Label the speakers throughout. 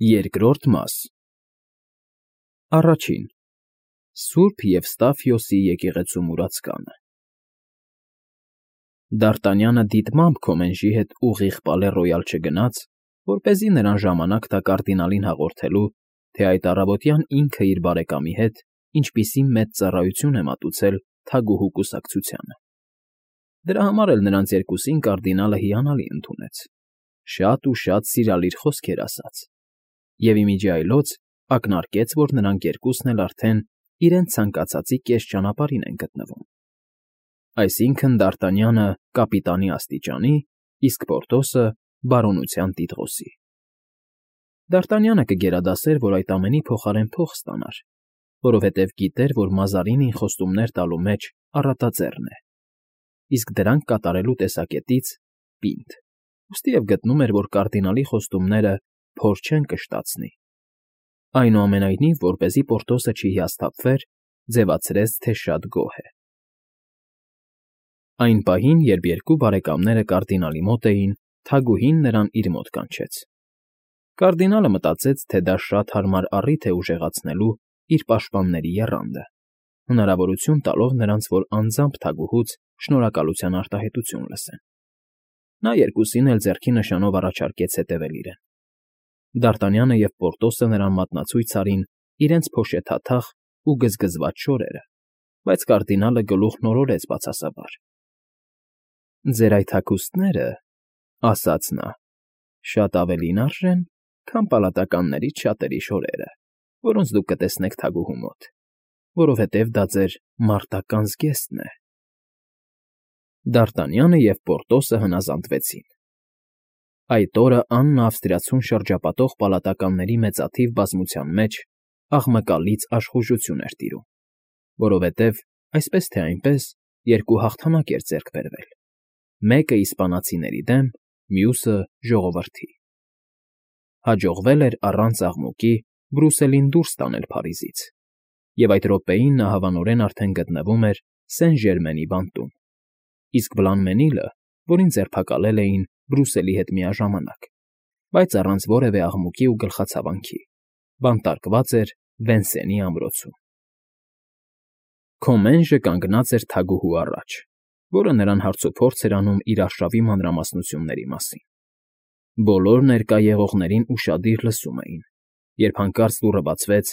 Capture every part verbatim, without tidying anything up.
Speaker 1: Երկրորդ մաս Առաջին Սուրբ Եվստաֆիոսի եկեղեցու մուրացկանը Դ'Արտանյանը դիտմամբ Քոմենժի հետ ուղիղ Պալե֊Ռոյալ չգնաց, որպեսզի նրան ժամանակ տա կարդինալին հաղորդելու, թե այդ առավոտյան ինքը իր բարեկամի հետ ինչպիսի մեծ ծառայություն է մատուցել թագուհու կուսակցությանը. դրա համար էլ նրանց երկուսին կարդինալը հիանալի ընդունեց, շատ ու շատ սիրալիր խոսքեր ասաց, և ի միջի այլոց ակնարկեց, որ նրանք երկուսն էլ արդեն իրենց ցանկացածի կես ճանապարհին են գտնվում, այսինքն՝ Դ'Արտանյանը կապիտանի աստիճանի, իսկ Պորտոսը բարոնության տիտղոսի։ Դ'Արտանյանը կգերադասեր, որ այդ ամենի փոխարեն փող ստանար, որովհետև գիտեր, որ Մազարինին խոստումներ տալու մեջ առատաձեռն է, իսկ դրանք կատարելու տեսակետից՝ պինդ, ուստիև գտնում էր, որ կարդինալի խոստումները փոր չեն կշտացնի։ Այնուամենայնիվ, որպեսզի Պորտոսը չհիասթափվեր, ձևացրեց, թե շատ գոհ է։ Այն պահին, երբ երկու բարեկամները կարդինալի մոտ էին, թագուհին նրան իր մոտ կանչեց։ Կարդինալը մտածեց, թե դա շատ հարմար առիթ է ուժեղացնելու իր պաշտպանների եռանդը, հնարավորություն տալով նրանց, որ անձամբ թագուհուց շնորհակալության արտահայտություն լսեն։ Նա երկուսին էլ ձեռքի նշանով առաջարկեց հետևել իրեն։ Դ'Արտանյանը և Պորտոսը նրան մատնացույց արին իրենց փոշեթաթախ ու գզգզված շորերը, բայց կարդինալը գլուխ նորորեց բացասաբար։ ֊ Ձեր այդ հագուստները, ֊ ասաց նա, ֊ շատ ավելին արժեն, քան պալատականներից շատերի շորերը, որոնց դուք կտեսնեք թագուհու մոտ, որովհետև դա ձեր մարտական զգեստն է։ Դ'Արտանյանը և Պորտոսը հնազանդվեցին։ Այդ օրը Աննը ավստրիացուն շրջապատող պալատականների մեծաթիվ բազմության մեջ աղմկալից աշխուժություն էր տիրում, որովհետև, այսպես թե այնպես, երկու հաղթանակ էր ձեռք բերվել՝ մեկը իսպանացիների դեմ, մյուսը՝ ժողովրդի։ Հաջողվել էր առանց աղմուկի Բրուսելին դուրս տանել Փարիզից, և այդ րոպեին նա հավանորեն արդեն գտնվում էր Սեն֊Ժերմենի բանտում, իսկ Բլանմենիլը, որին ձերբակալել էին Բրուսելի հետ միաժամանակ, բայց առանց որևէ աղմուկի ու գլխացավանքի, բանտարկված էր Վենսենի ամրոցում։ Քոմենժը կանգնած էր թագուհու առաջ, որը նրան հարցուփորձ էր անում իր արշավի մանրամասնությունների մասին։ Բոլոր ներկա եղողներին ուշադիր լսում էին, երբ հանկարծ դուռը բացվեց,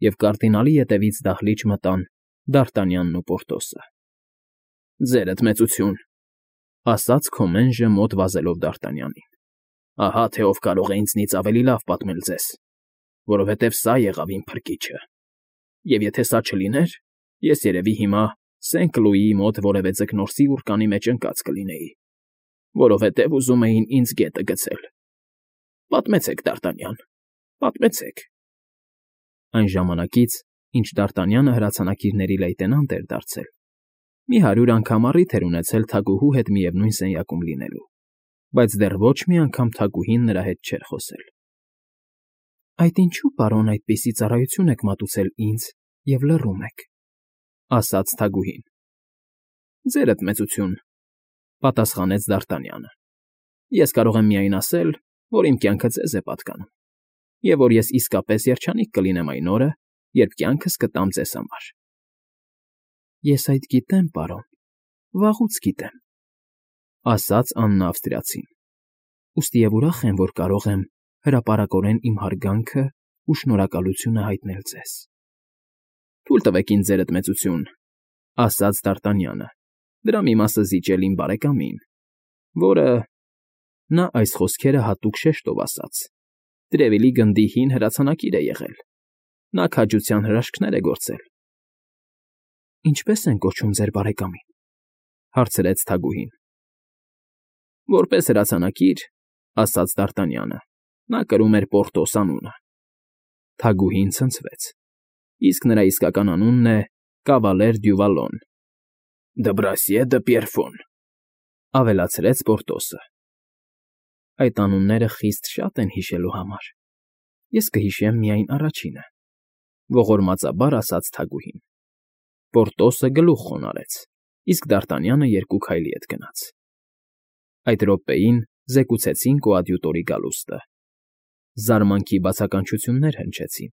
Speaker 1: և կարդինալի ետևից դահլիճ մտան Դ'Արտանյանն ու Պորտոսը։ ֊ Ձերդ մեծություն, ֊ ասաց Քոմենժը մոտ վազելով Դ'Արտանյանին, ֊ ահա թե ով կարող է ինձնից ավելի լավ պատմել ձեզ, որովհետև սա եղավ իմ փրկիչը, և եթե սա չլիներ, ես երևի հիմա Սեն֊Կլուիի մոտ որևէ ձկնորսի ուռկանի մեջ ընկած կլինեի, որովհետև ուզում էին ինձ գետը գցել։ Պատմեցեք, Դ'Արտանյան, պատմեցեք։ Այն ժամանակից, ինչ Դ'Արտանյանը հրացանակիրների լեյտենանտ էր դարձել, մի հարյուր անգամ առիթ էր ունեցել թագուհու հետ միևնույն սենյակում լինելու, բայց դեռ ոչ մի անգամ թագուհին նրա հետ չէր խոսել։ ֊ Այդ ինչո՞ւ, պարոն, այդպիսի ծառայություն եք մատուցել ինձ և լռում եք, ֊ ասաց թագուհին։ ֊ Ձերդ մեծություն, ֊ պատասխանեց Դ'Արտանյանը, ֊ ես կարող եմ միայն ասել, որ իմ կյանքը ձեզ է պատկանում, և որ ես իսկապես երջանիկ կլինեմ այն օրը, երբ կյանքս կտամ ձեզ համար։ ֊ Ես այդ գիտեմ, պարոն, վաղուց գիտեմ, ֊ ասաց Աննա ավստրիացին, ուստիև ուրախ եմ, որ կարող եմ հրապարակորեն իմ հարգանքն ու շնորհակալությունը հայտնել ձեզ։ ֊ Թույլ տվեք ինձ, ձերդ մեծություն, ֊ ասաց Դ'Արտանյանը, դրա մի մասը զիջել իմ բարեկամին, որը… նա այս խոսքերը հատուկ շեշտով ասաց, Տրևիլի գնդի հին հրացանակիր է եղել, նա քաջության հրաշքներ է գործել։ ֊ Ինչպե՞ս են կոչում ձեր բարեկամին, ֊ հարցրեց թագուհին։ ֊ Որպես հրացանակիր, ֊ ասաց Դ'Արտանյանը, ֊ նա կրում էր Պորտոս անունը։ Թագուհին ցնցվեց, իսկ նրա իսկական անունն է կավալեր Դյուվալոն։ ֊ Դբրասիե դը Պիերֆոն, ֊ ավելացրեց Պորտոսը։ ֊ Այդ անունները խիստ շատ են հիշելու համար, ես կհիշեմ միայն առաջինը, ֊ ողորմածաբար ասաց թագուհին։ Պորտոսը գլուխ խոնարհեց, իսկ Դ'Արտանյանը երկու քայլի հետ գնաց։ Այդ րոպեին զեկուցեցին կոադյուտորի գալուստը։ Զարմանքի բացականչություններ հնչեցին.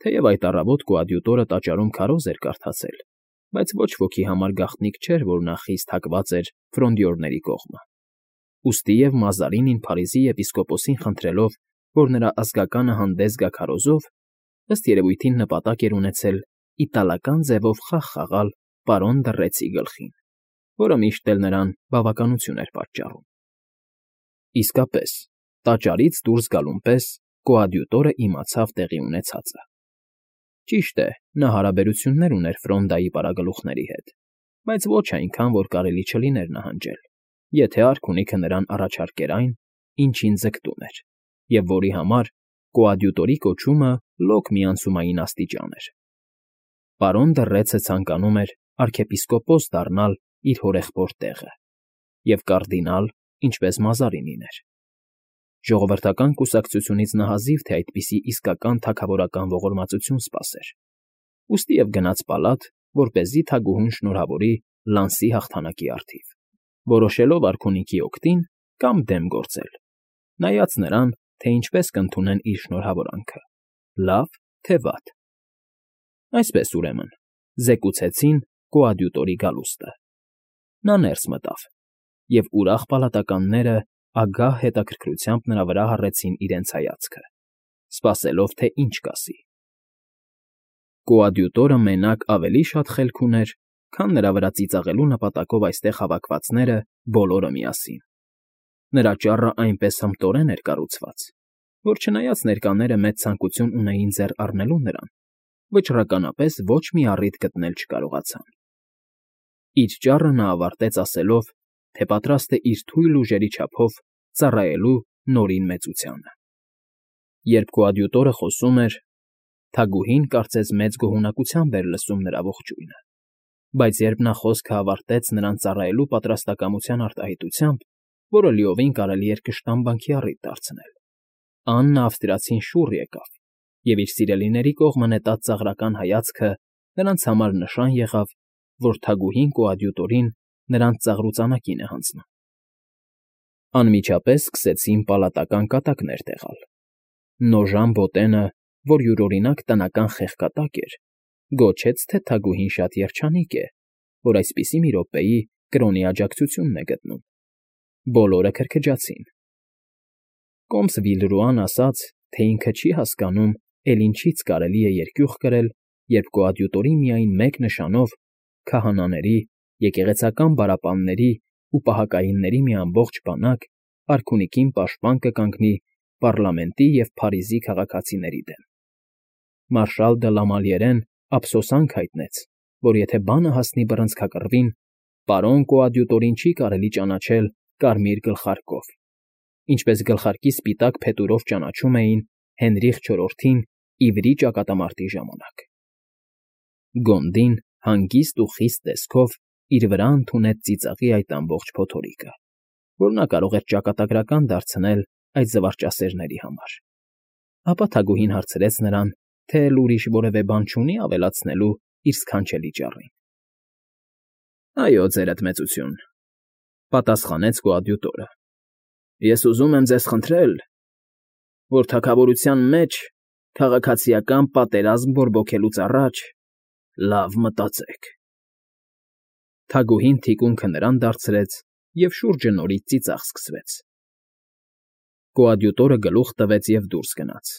Speaker 1: թեև այդ առավոտ կոադյուտորը տաճարում քարոզ էր կարդացել, բայց ոչ ոքի համար գաղտնիք չէր, որ նա խիստ հակված էր ֆրոնդյորների կողմը։ Ուստի և Մազարինին Փարիզի եպիսկոպոսին խնդրելով, որ նրա ազգականը հանդես գա քարոզով, ըստ երևույթին նպատակ էր ունեցել իտալական ձևով խաղ խաղալ պարոն Դռեցի գլխին, որը միշտ էլ նրան բավականություն էր պատճառում։ Իսկապես, տաճարից դուրս գալուն պես կոադյուտորը իմացավ տեղի ունեցածը։ Ճիշտ է, նա հարաբերություններ ուներ Ֆրոնդայի պարագլուխների հետ, բայց ոչ այնքան, որ կարելի չլիներ նահանջել, եթե արքունիքը նրան առաջարկեր այն, ինչին ձգտում էր, և որի համար կոադյուտորի կոչումը լոկ միանցումային աստիճան էր։ Պարոն Դռեցը ցանկանում էր արքեպիսկոպոս դառնալ իր հորեղբոր տեղը, և կարդինալ, ինչպես Մազարինին էր։ Ժողովրդական կուսակցությունից նա հազիվ թե այդպիսի իսկական թագավորական ողորմածություն սպասեր, ուստի և գնաց պալատ, որպեսզի թագուհուն շնորհավորի լանսի հաղթանակի առթիվ, որոշելով արքունիքի օգտին կամ դեմ գործել, նայած նրան, թե ինչպես կընդունեն իր շնորհավորանքը՝ լավ, թե վատ։ Այսպես, ուրեմն, զեկուցեցին կոադյուտորի գալուստը։ Նա ներս մտավ, և ուրախ պալատականները ագահ հետաքրքրությամբ նրա վրա հառեցին իրենց հայացքը, սպասելով, թե ինչ կասի։ Կոադյուտորը մենակ ավելի շատ խելք ուներ, քան նրա վրա ծիծաղելու նպատակով այստեղ հավաքվածները բոլորը միասին։ Նրա ճառը այնպես հմտորեն էր կառուցված, որ չնայած ներկաները մեծ ցանկություն ունեին ձեռ առնելու նրան, վճռականապես ոչ մի առիթ գտնել չկարողացան։ Իր ճառը նա ավարտեց ասելով, թե պատրաստ է իր թույլ ուժերի չափով ծառայելու Նորին Մեծությանը։ Երբ կոադյուտորը խոսում էր, թագուհին կարծես մեծ գոհունակությամբ էր լսում նրա ողջույնը, բայց երբ նա խոսքը ավարտեց նրան ծառայելու պատրաստակամության արտահայտությամբ, որը լիովին կարելի էր կշտամբանքի առիթ դարձնել, Աննա Ավստրիացին շուռ եկավ, և իր սիրելիների կողմը նետած ծաղրական հայացքը նրանց համար նշան եղավ, որ թագուհին կոադյուտորին նրանց ծաղրուծանակին է հանձնում։ Անմիջապես սկսեցին պալատական կատակներ տեղալ։ Նոժան Բոտենը, որ յուրօրինակ տնական խեղկատակ էր, գոչեց, թե թագուհին շատ երջանիկ է, որ այսպիսի մի րոպեի կրոնի աջակցությունն է գտնում։ Բոլորը քրքջացին։ Կոմս Վիլրուան ասաց, թե ինքը չի հասկանում, էլ ինչից կարելի է երկյուղ կրել, երբ կոադյուտորի միայն մեկ նշանով քահանաների, եկեղեցական բարապանների ու պահակայինների մի ամբողջ բանակ արքունիքին պաշտպան կկանգնի պառլամենտի և Փարիզի քաղաքացիների դեմ։ Մարշալ դը Լամալիերեն ափսոսանք հայտնեց, որ եթե բանը հասնի բռնցքակռվին, պարոն կոադյուտորին չի կարելի ճանաչել կարմիր գլխարկով, ինչպես գլխարկի սպիտակ փետուրով ճանաչում էին Հենրիխ չորրորդին Իվրի ճակատամարտի ժամանակ։ Գոնդին հանգիստ ու խիստ տեսքով իր վրա ընդունեց ծիծաղի այդ ամբողջ փոթորիկը, որ նա կարող էր ճակատագրական դարձնել այդ զվարճասերների համար։ Ապա թագուհին հարցրեց նրան, թե էլ ուրիշ որևէ բան չունի ավելացնելու իր սքանչելի ճառին։ Այո, ձերդ մեծություն, պատասխանեց կոադյուտորը։ Ես ուզում եմ ձեզ խնդրել, որ թագավորության մեջ քաղաքացիական պատերազմ բորբոքելուց առաջ լավ մտածեք։ Թագուհին թիկունքը նրան դարձրեց, և շուրջը նորից ծիծաղ սկսվեց։ Կոադյուտորը գլուխ տվեց և դուրս գնաց,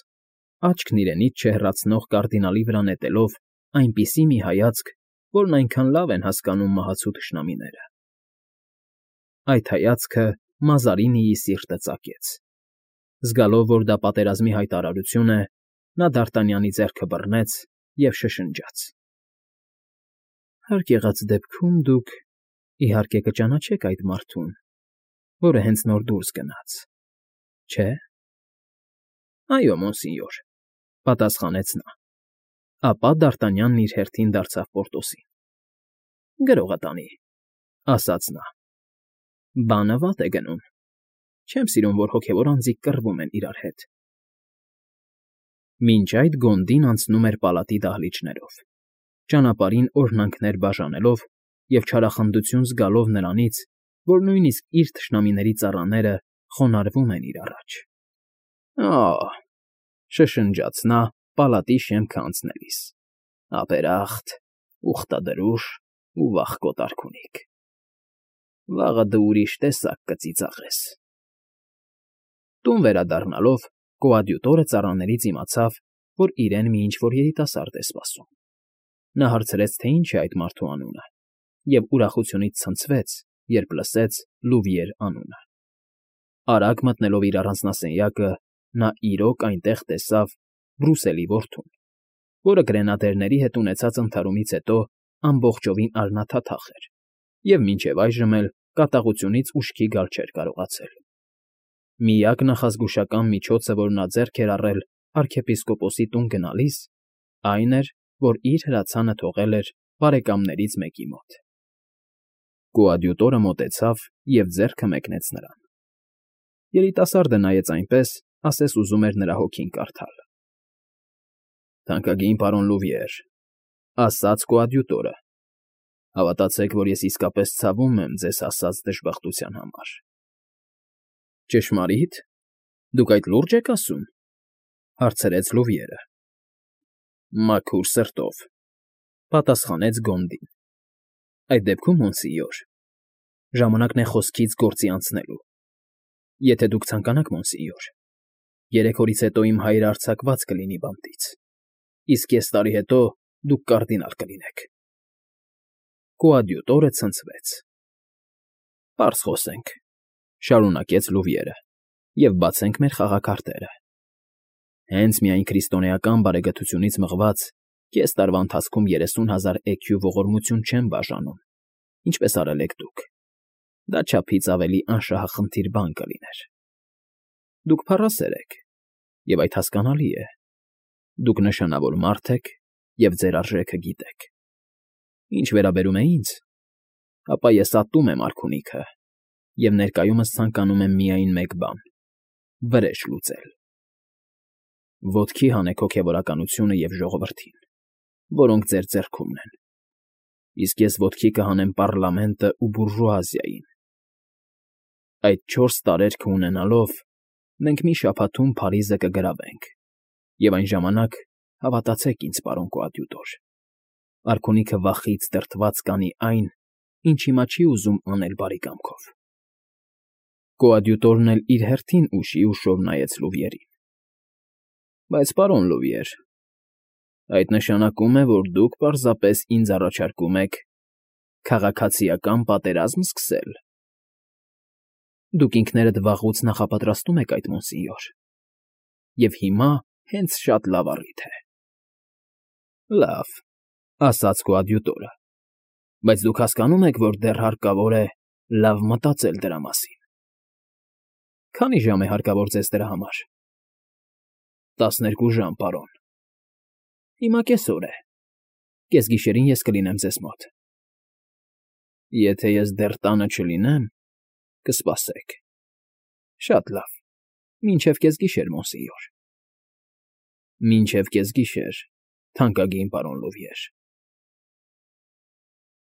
Speaker 1: աչքն իրենից չհեռացնող կարդինալի վրա նետելով այնպիսի մի հայացք, որն այնքան լավ են հասկանում մահացու թշնամիները։ Այդ հայացքը Մազարինիի սիրտը ծակեց։ Զգալով, որ դա պատերազմի հայտարարություն է, նա Դ'Արտանյանի ձեռքը բռնեց և շշնջաց. Հարկ եղած դեպքում դուք, իհարկե, կճանաչեք այդ մարդուն, որը հենց նոր դուրս գնաց, չէ՞։ Այո, մոնսինյոր, պատասխանեց նա։ Ապա Դ'Արտանյանն իր հերթին դարձավ Պորտոսին։ Գրողը տանի, ասաց նա։ Բանը վատ է գնում։ Չեմ սիրում, որ հոգևոր անձիկ կռվում են իրար հետ։ Մինչ այդ Գոնդին անցնում էր պալատի դահլիճներով, ճանապարհին օրհնանքներ բաժանելով և չարախնդություն զգալով նրանից, որ նույնիսկ իր թշնամիների ծառաները խոնարհվում են իր առաջ։ Ա՜, շշնջաց նա պալատի շեմքը անցնելիս, ապերախտ, ուխտադրուժ ու վախկոտ արքունիք, վաղը դու ուրիշ տեսակ կծիծաղես… Տուն վերադառնալով կոադյուտորը ծառաներից իմացավ, որ իրեն մի ինչ֊որ երիտասարդ է սպասում. նա հարցրեց, թե ինչ է այդ մարդու անունը, և ուրախությունից ցնցվեց, երբ լսեց Լուվիեր անունը… Արագ մտնելով իր առանձնասենյակը, նա իրոք այնտեղ տեսավ Բրուսելի որդուն, որը գրենադերների հետ ունեցած ընդհարումից հետո ամբողջովին արյունաթաթախ էր և մինչև այժմ էլ կատաղությունից ուշքի գալ չէր կարողացել… Միակ նախազգուշական միջոցը, որ նա ձեռք էր առել արքեպիսկոպոսի տուն գնալիս, այն էր, որ իր հրացանը թողել էր բարեկամներից մեկի մոտ… Կոադյուտորը մոտեցավ և ձեռքը մեկնեց նրան… Երիտասարդը նայեց այնպես, ասես ուզում էր նրա հոգին կարդալ։ ֊ Թանկագին պարոն Լուվիեր,֊ ասաց կոադյուտորը,֊ հավատացեք, որ ես իսկապես ցավում եմ ձեզ հասած դժբախտության համար։ ֊ Ճշմարի՞տ, դուք այդ լո՞ւրջ եք ասում,֊ հարցրեց Լուվիերը։ ֊ Մաքուր սրտով,֊ պատասխանեց Գոնդին։ ֊ Այդ դեպքում, մոնսիյոր, ժամանակն է խոսքից գործի անցնելու… Եթե դուք ցանկանաք, մոնսիյոր, երեք օրից հետո իմ հայրը արձակված կլինի բանտից, իսկ կես տարի հետո դուք կարդինալ կլինեք… Կոադյուտորը ցնցվեց։ ֊ Պարզ խոսենք,֊ շարունակեց Լուվիերը,֊ և բացենք մեր խաղաքարտերը… Հենց միայն քրիստոնեական բարեգթությունից մղած կես տարվա ընթացքում երեսուն հազար էքյու ողորմություն չեմ բաժանում, ինչպես արել եք դուք… Դա չափից ավելի անշահախնդիր բան կլիներ… Դուք փառասեր եք, և այդ հասկանալի է… Դուք նշանավոր մարդ եք և ձեր արժեքը գիտեք… Ինչ վերաբերում է ինձ, ապա ես ատում եմ արքունիքը և ներկայումս ցանկանում եմ միայն մեկ բան՝ վրեժ լուծել… Ոտքի հանեք հոգևորականությունը և ժողովրդին, որոնք ձեր ձեռքումն են, իսկ ես ոտքի կհանեմ պառլամենտն ու բուրժուազիային… Այդ չորս տարերքը ունենալով, մենք մի շաբաթում Փարիզը կգրավենք, և այն ժամանակ, հավատացեք ինձ, պարոն կոադյուտոր, արքունիքը վախից դրդված կանի այն, ինչ հիմա չի ուզում անել բարի կամքով… Կոադյուտորն էլ իր հերթին ուշի֊ուշով նայեց Լուվիերին։ ֊ Բայց, պարոն Լուվիեր, այդ նշանակում է, որ դուք պարզապես ինձ առաջարկում եք քաղաքացիական պատերազմ սկսել… Դուք ինքներդ վաղուց նախապատրաստում եք այդ, մոնսիյոր, և հիմա հենց շատ լավ առիթ է… ֊ Լավ,֊ ասաց կոադյուտորը,֊ բայց դուք հասկանո՞ւմ եք, որ դեռ հարկավոր է լավ մտածել դրա մասին… ֊ Քանի՞ ժամ է հարկավոր ձեզ դրա համար։ ֊ Տասներկու ժամ, պարոն։ ֊ Հիմա կեսօր է, կեսգիշերին ես կլինեմ ձեզ մոտ… ֊ Եթե ես դեռ տանը չլինեմ, կսպասեք… ֊ Շատ լավ, մինչև կեսգիշեր, մոնսիյոր։ ֊ Մինչև կեսգիշեր, թանկագին պարոն Լուվիեր։